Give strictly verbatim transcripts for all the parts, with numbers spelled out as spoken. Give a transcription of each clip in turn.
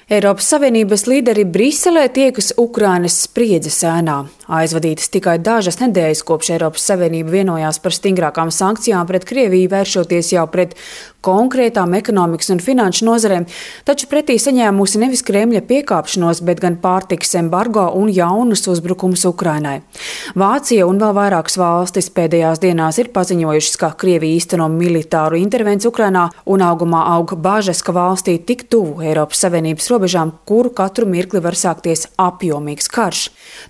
Eiropas Savienības līderi Briselē tiekas Ukrainas spriedzes ēnā. Aizvadītas tikai dažas nedēļas, kopš Eiropas Savienība vienojās par stingrākām sankcijām pret Krieviju, vēršoties jau pret konkrētām ekonomikas un finanšu nozarēm, taču pretī saņēmusi nevis Kremļa piekāpšanos, bet gan pārtikas embargo un jaunus uzbrukumus Ukrainai. Vācija un vēl vairākas valstis pēdējās dienās ir paziņojušas, ka Krievija īsteno militāru intervenciju Ukrainā un augumā aug bažas, ka valstī tik tuvu Eiropas Savienības robežām, kuru katru mirkli var sākties apjomīgs karš.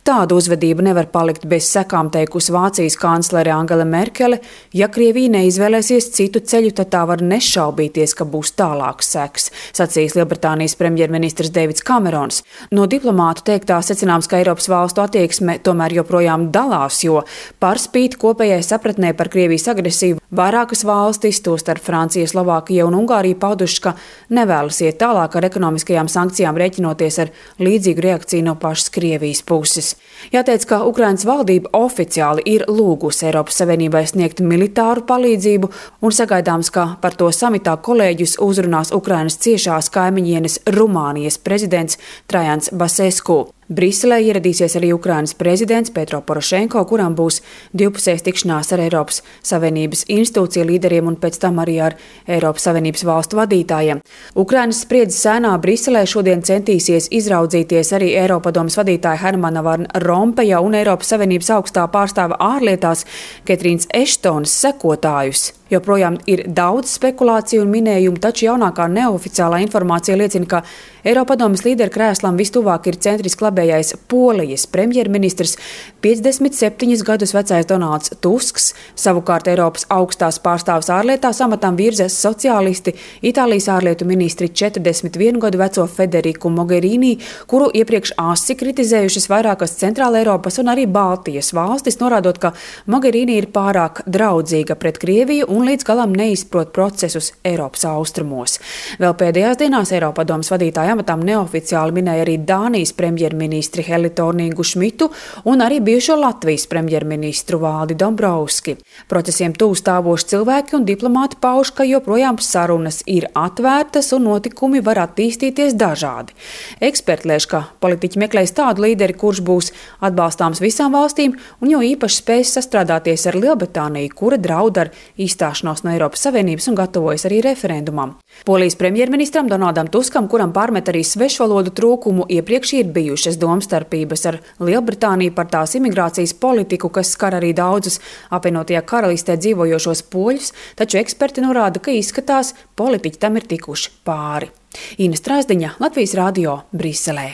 Tādu uzvedību nevar palikt bez sekām, teikusi Vācijas kanclere Angela Merkele. Ja Krievija neizvēlēsies citu ceļu, tad tā var nešaubīties, ka būs tālāks seks, sacījis Lielbritānijas premjerministrs Deivids Kamerons. No diplomātu teiktā secināms, ka Eiropas valstu attieksme tomēr joprojām dalās, jo par spīti kopējai sapratnē par Krievijas agresiju vairākas valstis, tostarp Francija, Slovākija un Ungārija, paudušas, ka nevēlas iet tālāk ar ekonomiskajām sankcijām, rēķinoties ar līdzīgu reakciju no pašas Krievijas puses. Jāteic, ka Ukrainas valdība oficiāli ir lūgusi Eiropas Savienībai sniegt militāru palīdzību un sagaidāms, ka par to samitā kolēģus uzrunās Ukrainas ciešās kaimiņienes Rumānijas prezidents Trajans Basescu. Briselē ieradīsies arī Ukrainas prezidents Petro Porošenko, kuram būs divpusējas tikšanās ar Eiropas Savienības institūciju līderiem un pēc tam arī ar Eiropas Savienības valstu vadītājiem. Ukrainas spriedzes ēnā Briselē šodien centīsies izraudzīties arī Eiropadomes vadītāja Hermana Van Rompeja un Eiropas Savienības augstā pārstāve ārlietās Ketrīnas Eštonas sekotājus. Joprojām ir daudz spekulāciju un minējumu, taču jaunākā neoficiālā informācija liecina, ka Eiropadomes līderu krēslam vistuvāk ir centriski labējais Polijas premjerministrs, piecdesmit septiņus gadus vecais Donalds Tusks. Savukārt Eiropas augstās pārstāves ārlietās amatam virzas sociālisti, Itālijas ārlietu ministri četrdesmit vienu gadu veco Federiku Mogherini, kuru iepriekš asi kritizējušas vairākas Centrāla Eiropas un arī Baltijas valstis, norādot, ka Mogherini ir pārāk draudzīga pret Krieviju un līdz galam neizprot procesus Eiropas austrumos. Vēl pēdējās dienās Eiropadomes vadītāja amatam neoficiāli minēja arī Dānijas premjerministri Heli Torningu Šmitu un arī bijušo Latvijas premjerministru Valdi Dombrovski. Procesiem tuvu stāvoši cilvēki un diplomāti pauž, ka joprojām sarunas ir atvērtas un notikumi var attīstīties dažādi. Eksperti lēš, ka politiķi meklēs tādu līderi, kurš būs atbalstāms visām valstīm un jo īpaši spēs sastrādāties ar Lielbritāniju, kura draud ar izstāšanos no Eiropas Savienības un gatavojas arī referendumam. Polijas premjerministram Donaldam Tuskam, kuram pārmet arī svešvalodu trūkumu, iepriekš ir bijušas domstarpības ar Lielbritāniju par tās imigrācijas politiku, kas skar arī daudzus apvienotajā karalistē dzīvojošos poļus, taču eksperti norāda, ka izskatās, politiķi tam ir tikuši pāri. Ina Strāzdiņa, Latvijas radio, Briselē.